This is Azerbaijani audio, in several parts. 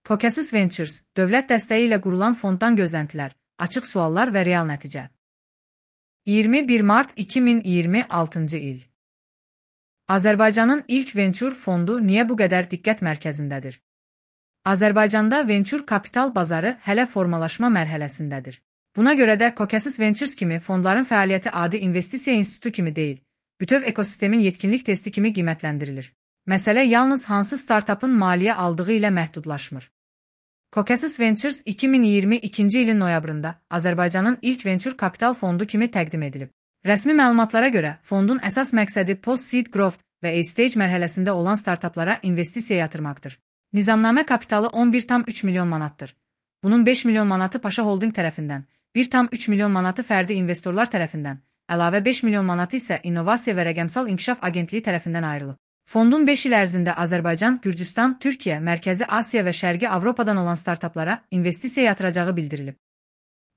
Caucasus Ventures, dövlət dəstəyi ilə qurulan fonddan gözləntilər, açıq suallar və real nəticə. 21 mart 2026-cı il. Azərbaycanın ilk venture fondu niyə bu qədər diqqət mərkəzindədir? Azərbaycanda venture kapital bazarı hələ formalaşma mərhələsindədir. Buna görə də Caucasus Ventures kimi fondların fəaliyyəti adi investisiya institutu kimi deyil, bütöv ekosistemin yetkinlik testi kimi qiymətləndirilir. Məsələ yalnız hansı startupın maliyyə aldığı ilə məhdudlaşmır. Caucasus Ventures 2022-ci ilin noyabrında Azərbaycanın ilk venture kapital fondu kimi təqdim edilib. Rəsmi məlumatlara görə, fondun əsas məqsədi post-seed growth və A-stage mərhələsində olan startuplara investisiya yatırmaqdır. Nizamnamə kapitalı 11,3 milyon manatdır. Bunun 5 milyon manatı Paşa Holding tərəfindən, 1,3 milyon manatı fərdi investorlar tərəfindən, əlavə 5 milyon manatı isə İnnovasiya və Rəqəmsal İnkişaf Agentliyi tərəfindən ayrılıb. Fondun 5 il ərzində Azərbaycan, Gürcüstan, Türkiyə, Mərkəzi Asiya və Şərqi Avropadan olan startuplara investisiya yatıracağı bildirilib.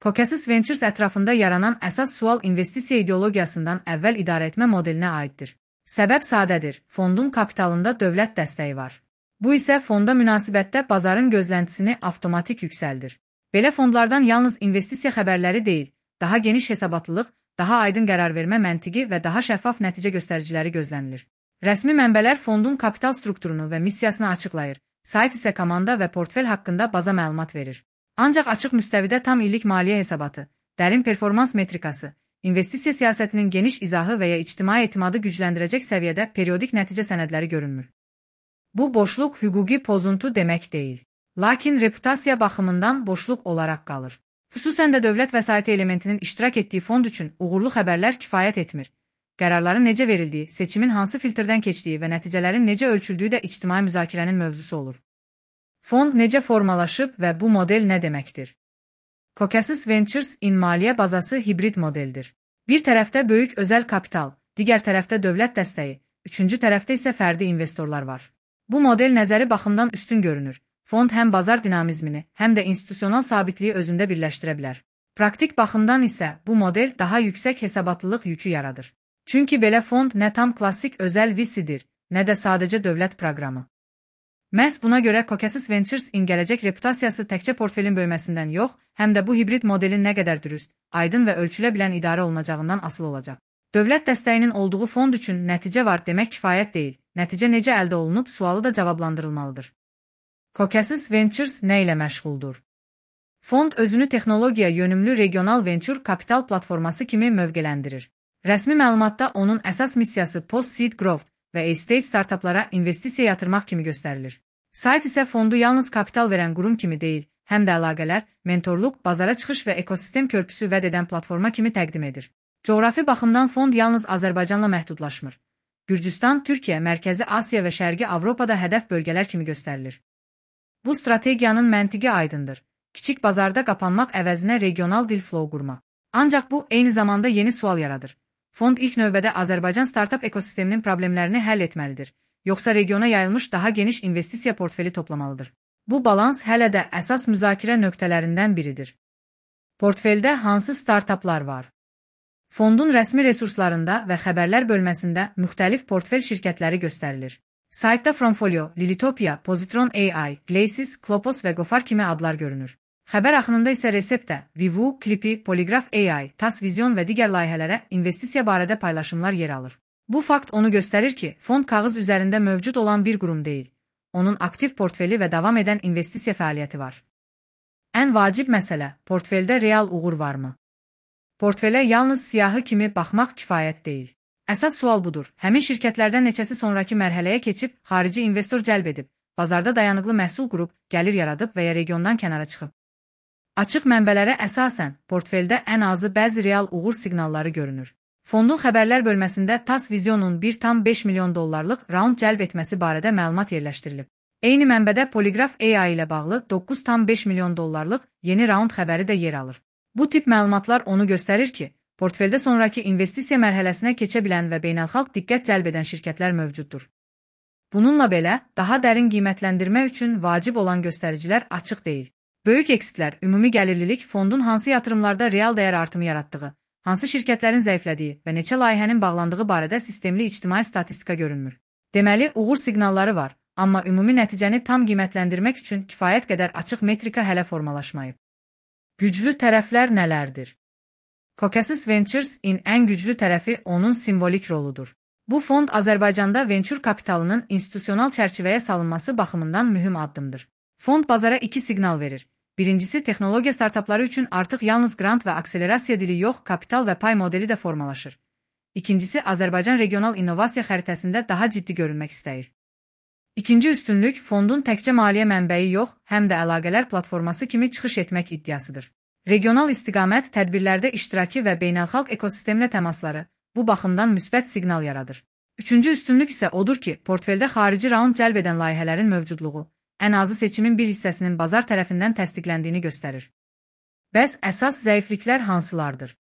Caucasus Ventures ətrafında yaranan əsas sual investisiya ideologiyasından əvvəl idarəetmə modelinə aiddir. Səbəb sadədir, fondun kapitalında dövlət dəstəyi var. Bu isə fonda münasibətdə bazarın gözləntisini avtomatik yüksəldir. Belə fondlardan yalnız investisiya xəbərləri deyil, daha geniş hesabatlılıq, daha aydın qərar vermə məntiqi və daha şəffaf nəticə göstəriciləri gözlənilir. Rəsmi mənbələr fondun kapital strukturunu və missiyasını açıqlayır, sayt isə komanda və portfel haqqında baza məlumat verir. Ancaq açıq müstəvidə tam illik maliyyə hesabatı, dərin performans metrikası, investisiya siyasətinin geniş izahı və ya ictimai etimadı gücləndirəcək səviyyədə periodik nəticə sənədləri görünmür. Bu boşluq hüquqi pozuntu demək deyil. Lakin reputasiya baxımından boşluq olaraq qalır. Xüsusən də dövlət vəsaiti elementinin iştirak etdiyi fond üçün uğurlu xəbərlər kifayət etmir. Qərarların necə verildiyi, seçimin hansı filtrdən keçdiyi və nəticələrin necə ölçüldüyü də ictimai müzakirənin mövzusu olur. Fond necə formalaşıb və bu model nə deməkdir? Caucasus Ventures-in maliyyə bazası hibrid modeldir. Bir tərəfdə böyük özəl kapital, digər tərəfdə dövlət dəstəyi, üçüncü tərəfdə isə fərdi investorlar var. Bu model nəzəri baxımdan üstün görünür. Fond həm bazar dinamizmini, həm də institusional sabitliyi özündə birləşdirə bilər. Praktik baxımdan isə bu model daha yüksək hesabatlılıq yükü yaradır. Çünki belə fond nə tam klassik özəl VC-dir, nə də sadəcə dövlət proqramı. Məhz buna görə Caucasus Ventures-in gələcək reputasiyası təkcə portfelin böyüməsindən yox, həm də bu hibrid modelin nə qədər dürüst, aydın və ölçülə bilən idarə olunacağından asılı olacaq. Dövlət dəstəyinin olduğu fond üçün nəticə var demək kifayət deyil, nəticə necə əldə olunub sualı da cavablandırılmalıdır. Caucasus Ventures nə ilə məşğuldur? Fond özünü texnologiya yönümlü regional venture kapital platforması kimi mövqeləndirir. Rəsmi məlumatda onun əsas missiyası post-seed growth və A-stage startuplara investisiya yatırmaq kimi göstərilir. Sayt isə fondu yalnız kapital verən qurum kimi deyil, həm də əlaqələr, mentorluq, bazara çıxış və ekosistem körpüsü vəd edən platforma kimi təqdim edir. Coğrafi baxımdan fond yalnız Azərbaycanla məhdudlaşmır. Gürcüstan, Türkiyə, Mərkəzi Asiya və Şərqi Avropada hədəf bölgələr kimi göstərilir. Bu strategiyanın məntiqi aydındır. Kiçik bazarda qapanmaq əvəzinə regional dil flow qurma. Ancaq bu, eyni zamanda yeni sual yaradır. Fond ilk növbədə Azərbaycan startup ekosisteminin problemlərini həll etməlidir, yoxsa regiona yayılmış daha geniş investisiya portfeli toplamalıdır. Bu balans hələ də əsas müzakirə nöqtələrindən biridir. Portfeldə hansı startuplar var? Fondun rəsmi resurslarında və xəbərlər bölməsində müxtəlif portfel şirkətləri göstərilir. Saytda Fromfolio, Lilitopia, Positron AI, Glacis, Klopos və Gofar kimi adlar görünür. Xəbər axınında isə Reseptə, Vivu, Klipi, Poligraf AI, TAS Vision və digər layihələrə investisiya barədə paylaşımlar yer alır. Bu fakt onu göstərir ki, fond kağız üzərində mövcud olan bir qurum deyil. Onun aktiv portfeli və davam edən investisiya fəaliyyəti var. Ən vacib məsələ, portfeldə real uğur varmı? Portfelə yalnız siyahı kimi baxmaq kifayət deyil. Əsas sual budur, həmin şirkətlərdən neçəsi sonraki mərhələyə keçib, xarici investor cəlb edib, bazarda dayanıqlı məhsul qurub, gəlir yaradıb və ya regiondan kənara çıxıb. Açıq mənbələrə əsasən, portfeldə ən azı bəzi real uğur siqnalları görünür. Fondun xəbərlər bölməsində TAS Vision'un 1,5 milyon dollarlıq raund cəlb etməsi barədə məlumat yerləşdirilib. Eyni mənbədə Poligraf AI ilə bağlı 9,5 milyon dollarlıq yeni raund xəbəri də yer alır. Bu tip məlumatlar onu göstərir ki, portfeldə sonraki investisiya mərhələsinə keçə bilən və beynəlxalq diqqət cəlb edən şirkətlər mövcuddur. Bununla belə, daha dərin qiymətləndirmə üçün vacib olan göstəricilər açıq deyil. Böyük eksitlər, ümumi gəlirlilik fondun hansı yatırımlarda real dəyər artımı yaratdığı, hansı şirkətlərin zəiflədiyi və neçə layihənin bağlandığı barədə sistemli ictimai statistika görünmür. Deməli, uğur siqnalları var, amma ümumi nəticəni tam qiymətləndirmək üçün kifayət qədər açıq metrika hələ formalaşmayıb. Güclü tərəflər nələrdir? Caucasus Ventures-in ən güclü tərəfi onun simvolik roludur. Bu fond Azərbaycanda vençur kapitalının institusional çərçivəyə salınması baxımından mühüm addımdır. Fond bazara iki siqnal verir. Birincisi, texnologiya startapları üçün artıq yalnız grant və akselerasiya dili yox, kapital və pay modeli də formalaşır. İkincisi, Azərbaycan regional innovasiya xəritəsində daha ciddi görünmək istəyir. İkinci üstünlük, fondun təkcə maliyyə mənbəyi yox, həm də əlaqələr platforması kimi çıxış etmək iddiasıdır. Regional istiqamət, tədbirlərdə iştirakı və beynəlxalq ekosistemlə təmasları bu baxımdan müsbət siqnal yaradır. Üçüncü üstünlük isə odur ki, portfeldə xarici raund cəlb edən layihələrin mövcudluğu ən azı seçimin bir hissəsinin bazar tərəfindən təsdiqləndiyini göstərir. Bəs əsas zəifliklər hansılardır?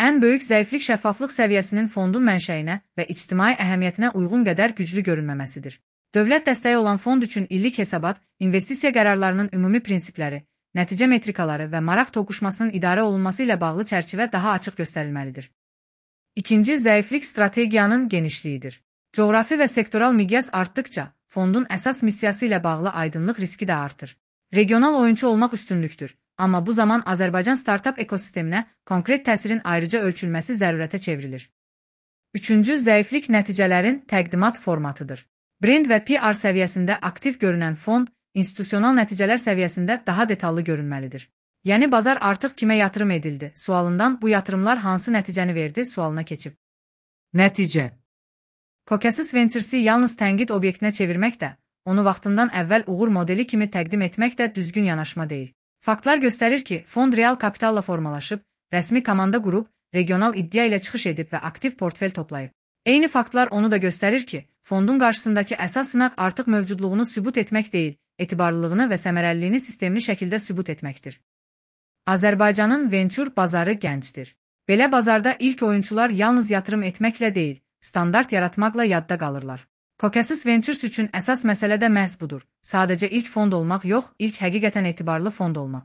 Ən böyük zəiflik şəffaflıq səviyyəsinin fondun mənşəyinə və ictimai əhəmiyyətinə uyğun qədər güclü görünməməsidir. Dövlət dəstəyi olan fond üçün illik hesabat, investisiya qərarlarının ümumi prinsipləri, nəticə metrikaları və maraq toqquşmasının idarə olunması ilə bağlı çərçivə daha açıq göstərilməlidir. İkinci zəiflik strategiyanın genişliyidir. Coğrafi və sektoral miqyas artdıkca, fondun əsas missiyası ilə bağlı aydınlıq riski də artır. Regional oyunçu olmaq üstünlükdür, amma bu zaman Azərbaycan startap ekosisteminə konkret təsirin ayrıca ölçülməsi zərurətə çevrilir. Üçüncü zəiflik nəticələrin təqdimat formatıdır. Brend və PR səviyyəsində aktiv görünən fond, institusional nəticələr səviyyəsində daha detallı görünməlidir. Yəni bazar artıq kimə yatırım edildi sualından bu yatırımlar hansı nəticəni verdi sualına keçib. Nəticə. Caucasus Ventures-i yalnız tənqid obyektinə çevirmək də, onu vaxtından əvvəl uğur modeli kimi təqdim etmək də düzgün yanaşma deyil. Faktlar göstərir ki, fond real kapitalla formalaşıb, rəsmi komanda qurub, regional iddia ilə çıxış edib və aktiv portfel toplayıb. Eyni faktlar onu da göstərir ki, fondun qarşısındakı əsas sınaq artıq mövcudluğunu sübut etmək deyil, etibarlılığını və səmərəliliyini sistemli şəkildə sübut etməkdir. Azərbaycanın vençur bazarı gəncdir. Belə bazarda ilk oyunçular yalnız yatırım etməklə deyil, standart yaratmaqla yadda qalırlar. Caucasus Ventures üçün əsas məsələ də məhz budur. Sadəcə ilk fond olmaq yox, ilk həqiqətən etibarlı fond olmaq.